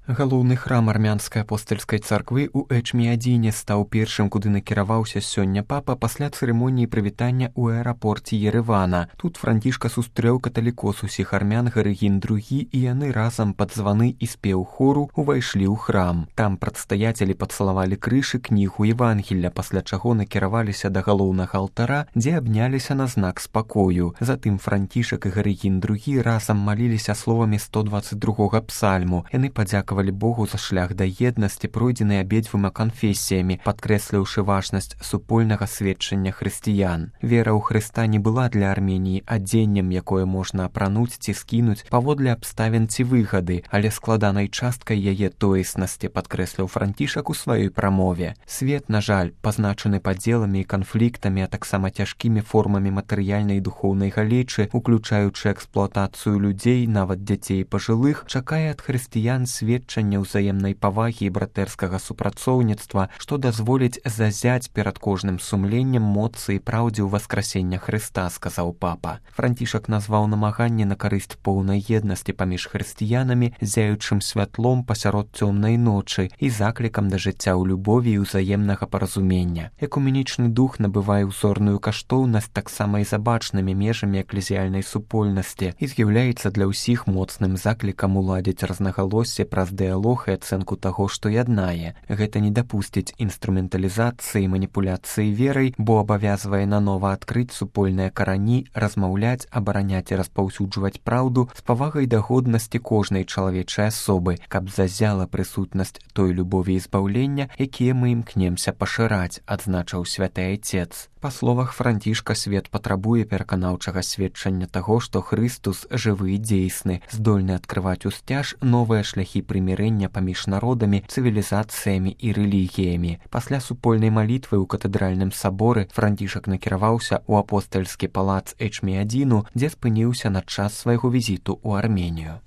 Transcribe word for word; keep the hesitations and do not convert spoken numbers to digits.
Галоўны храм армянскай апостальскай царквы ў Эчміадзіне стаў першым, куды накіраваўся сёння папа пасля цырымоніі прывітання ў аэрапорце Еревана. Тут Францішка сустрэў каталікос усіх армян Гарыгін другі, і яны разам пад званы і спеў хору увайшлі ў храм. Там прадстаяцелі пацалавалі крыж і кнігу Евангелля, пасля чаго накіраваліся да галоўнага алтара, дзе абняліся на знак спакою. Затым Францішак і Гарыгін другі разам маліліся словамі сто дваццаць другога псальму. Яны падзякавалі Богу за шлях да еднасці, пройдзены абедзвюма канфесіямі, падкрэсліўшы важнасць супольнага сведчання хрысціян. Вера ў Хрыста не была для Арменіі адзеннем, якое можна апрануць ці скінуць паводле абставін ці выгады, але складанай часткай яе тоеснасці, падкрэсліў Францішак у сваёй прамове. Свет, на жаль, пазначаны падзеламі і канфліктамі, а таксама цяжкімі формамі матэрыяльнай і духоўнай галечы, уключаючы эксплуатацыю людзей, нават дзяцей і пажылых, чакае ад хрысціян сведчання ўзаемнай павагі і братэрскага супрацоўніцтва, што дазволіць зазяць перад кожным сумленнем моцы і праўдзе ў васкрасення Хрыста, сказаў папа. Францішак назваў намаганне на карысць поўнай еднасці паміж хрысціянамі зяючым святлом пасярод цёмнай ночы і заклікам да жыцця ў любові і ўзаемнага паразумення. Экуменічны дух набывае ўзорную каштоўнасць таксама і за бачнымі межамі эклезіяльнай супольнасці і з'яўляецца для ўсіх моцным заклікам уладзіць рознагалоссі праз дыялог і ацэнку таго, што яднае. Гэта не дапусціць інструменталізацыі і маніпуляцыі верай, бо абавязвае нанова адкрыць супольныя карані, размаўляць, абараняць і распаўсюджваць праўду з павагай да годнасці кожнай чалавечай асобы, каб зазяла прысутнасць той любові і збаўлення, якія мы імкнемся пашыраць, адзначыў святы айцец. Па словах Францішка, свет патрабуе пераканаўчага сведчання таго, што Хрыстус жывы і дзейсны, здольны адкрываць усцяж новыя шляхі прымірэння паміж народамі, цывілізацыямі і рэлігіямі. Пасля супольнай малітвы ў катэдральным саборы Францішак накіраваўся ў апостальскі палац Эчміадзіну, дзе спыніўся на час свайго візіту ў Арменію.